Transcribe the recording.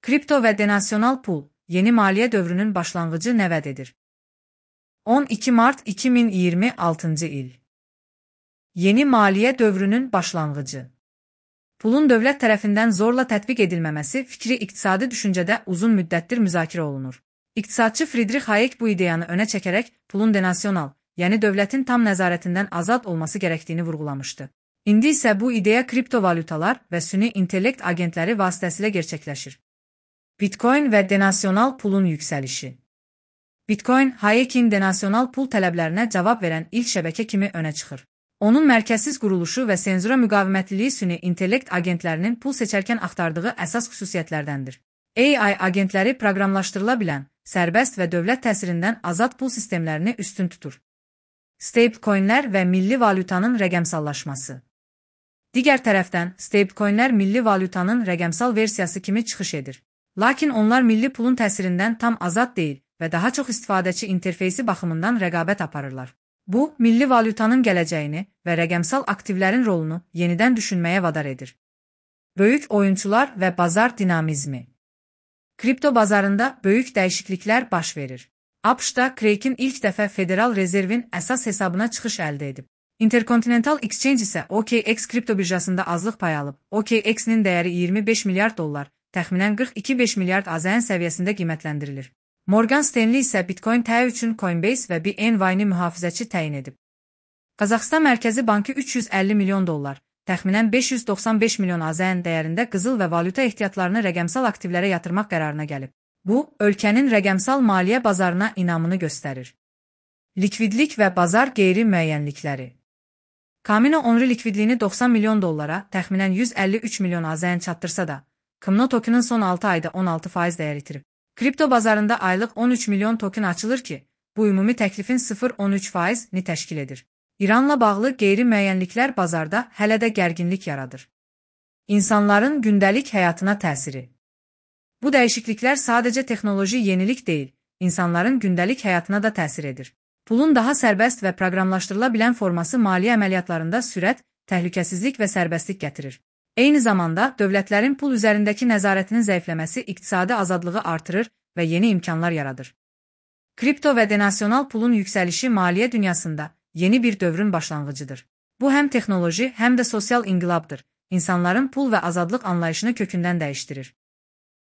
Kripto və denasyonal pul, yeni maliyyə dövrünün başlanğıcı nə vəd edir? 12 mart 2026-cı il. Yeni maliyyə dövrünün başlanğıcı. Pulun dövlət tərəfindən zorla tətbiq edilməməsi fikri iqtisadi düşüncədə uzun müddətdir müzakirə olunur. İqtisadçı Friedrich Hayek bu ideyanı önə çəkərək pulun denasyonal, yəni dövlətin tam nəzarətindən azad olması gərəkdiyini vurğulamışdı. İndi isə bu ideya kriptovalyutalar və süni intellekt agentləri vasitəsilə gerçəkləşir. Bitcoin və denasyonal pulun yüksəlişi. Bitcoin, Hayekin denasyonal pul tələblərinə cavab verən ilk şəbəkə kimi önə çıxır. Onun mərkəzsiz quruluşu və senzura müqavimətliliyi süni intellekt agentlərinin pul seçərkən axtardığı əsas xüsusiyyətlərdəndir. AI agentləri proqramlaşdırıla bilən, sərbəst və dövlət təsirindən azad pul sistemlərini üstün tutur. Stablecoinlər və milli valyutanın rəqəmsallaşması. Digər tərəfdən, stablecoinlər milli valyutanın rəqəmsal versiyası kimi çıxış edir. Lakin onlar milli pulun təsirindən tam azad deyil və daha çox istifadəçi interfeysi baxımından rəqabət aparırlar. Bu, milli valyutanın gələcəyini və rəqəmsal aktivlərin rolunu yenidən düşünməyə vadar edir. Böyük oyunçular və bazar dinamizmi. Kripto bazarında böyük dəyişikliklər baş verir. ABŞ-da Kraken ilk dəfə Federal Rezervin əsas hesabına çıxış əldə edib. Intercontinental Exchange isə OKX kripto birjasında azlıq payı alıb. OKX-nin dəyəri 25 milyard dollar, təxminən 42,5 milyard AZN səviyyəsində qiymətləndirilir. Morgan Stanley isə Bitcoin təyi üçün Coinbase və BNY-ni mühafizəçi təyin edib. Qazaxıstan Mərkəzi Bankı 350 milyon dollar, təxminən 595 milyon AZN dəyərində qızıl və valyuta ehtiyatlarını rəqəmsal aktivlərə yatırmaq qərarına gəlib. Bu, ölkənin rəqəmsal maliyyə bazarına inamını göstərir. Likvidlik və bazar qeyri-müəyyənlikləri. Kamino Onru likvidliyini 90 milyon dollara, təxminən 153 milyon AZN çatdırsa da, Kmno tokenın son 6 ayda 16% dəyər itirib. Kripto bazarında aylıq 13 milyon token açılır ki, bu ümumi təklifin 0,13%-ni təşkil edir. İranla bağlı qeyri-müəyyənliklər bazarda hələ də gərginlik yaradır. İnsanların gündəlik həyatına təsiri. Bu dəyişikliklər sadəcə texnoloji yenilik deyil, insanların gündəlik həyatına da təsir edir. Pulun daha sərbəst və proqramlaşdırıla bilən forması maliyyə əməliyyatlarında sürət, təhlükəsizlik və sərbəstlik gətirir. Eyni zamanda, dövlətlərin pul üzərindəki nəzarətinin zəifləməsi iqtisadi azadlığı artırır və yeni imkanlar yaradır. Kripto və denasyonal pulun yüksəlişi maliyyə dünyasında yeni bir dövrün başlanğıcıdır. Bu həm texnoloji, həm də sosial inqilabdır. İnsanların pul və azadlıq anlayışını kökündən dəyişdirir.